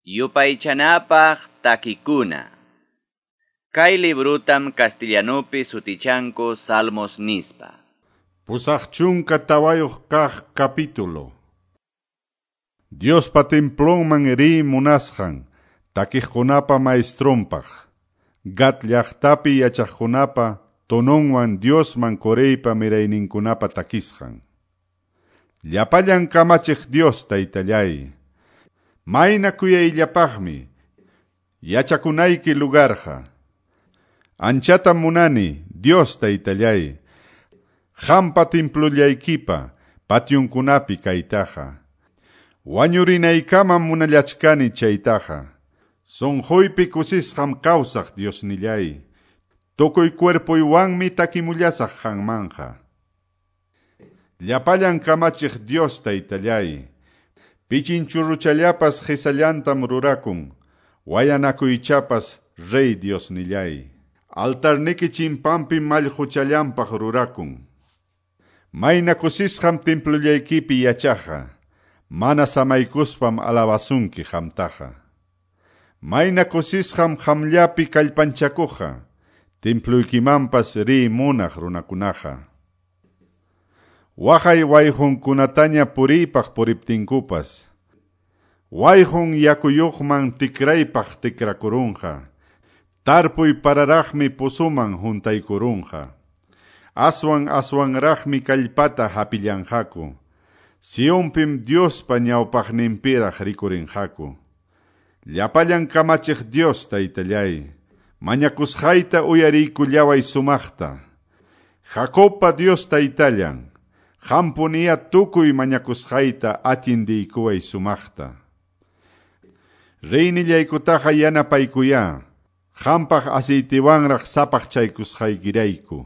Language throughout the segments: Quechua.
Yupaychanapaq takikuna. Kay librutam castellanupi sutichanku Salmos nispa. 84 kaq capítulo. Diospa templonman riy munasqan, takiqkunapa maestronpaq, Gat llaqtapi yachaqkunapa tononwan Diosman Coreypa mirayninkunapa takisqan. Llapallan kamachiq Dios taytallay, mayna kuyayllapaqmi yachakunayki lugarqa. Anchatam munani Dios taytallay, qampa templollaykipa pationkunapi kaytaqa. Wañurinaykamam munallachkani chaytaqa. Sunquypi kusisqam kawsaq Diosnillay. Tukuy cuerpuywanmi takimullasaq qanmanqa. Llapallan kamachiq Dios taytallay, pichinchurruchallapas qhisallantam rurakun, wayanakuychapas rey Diosnillay. Altarniki chimpanpi mallquchallanpaq rurakun. Mayna kusisqam templollaykipi yachaqqa, mana samaykuspam alabasunki qamtaqa. Mayna kusisqam qamllapi kallpanchakuqqa, templuykimanpas riy munaq runakunaqa. Waqay wayqunkunataña puriypaq puriptinkupas, wayqun yakuyuqman tikraypaq tikrakurunqa, tarpuy pararaqmi pusuman huntaykurunqa. Aswan aswanraqmi kallpata hapillanqaku, Sionpim Diospa ñawpaqninpiraq rikurinqaku. Llapallan kamachiq Dios taytallay, mañakusqayta uyariykullaway sumaqta. Jacobpa Dios taytallan, qampuniya tukuy mañakusqayta atindiykuway sumaqta. Reynillaykutaqa yanapaykuya, qampaq aceitiwanraq sapaqchaykusqaykirayku.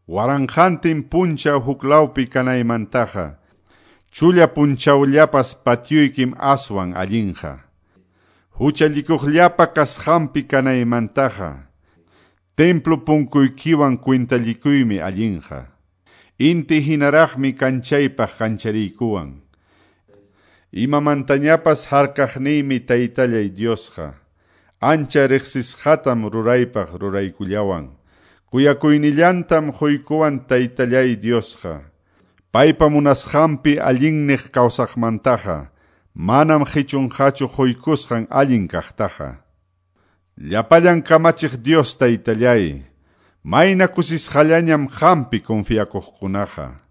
Waranqantin punchaw huklawpi kanaymantaqa, chulla punchawllapas patioykim aswan allinqa. Huchallikuqllapa kasqanpi kanaymantaqa, templo punkuykiwan kwintallikuymi allinqa. Inti hinaraqmi kanchaypaq kanchariykuwan. Imamantañapas harkaqniymi taytallay Diosqa, ancha riqsisqatam ruraypaq ruraykullawan. Kuyakuynillantam quykuwan taytallay Diosqa. Paypa munasqanpi allinniq kawsaqmantaqa, manam qichunqachu quykusqan allin kaqtaqa. Llapallan kamachiq Dios taytallay, mayna kusisqallañam qampi confiakuqkunaqa.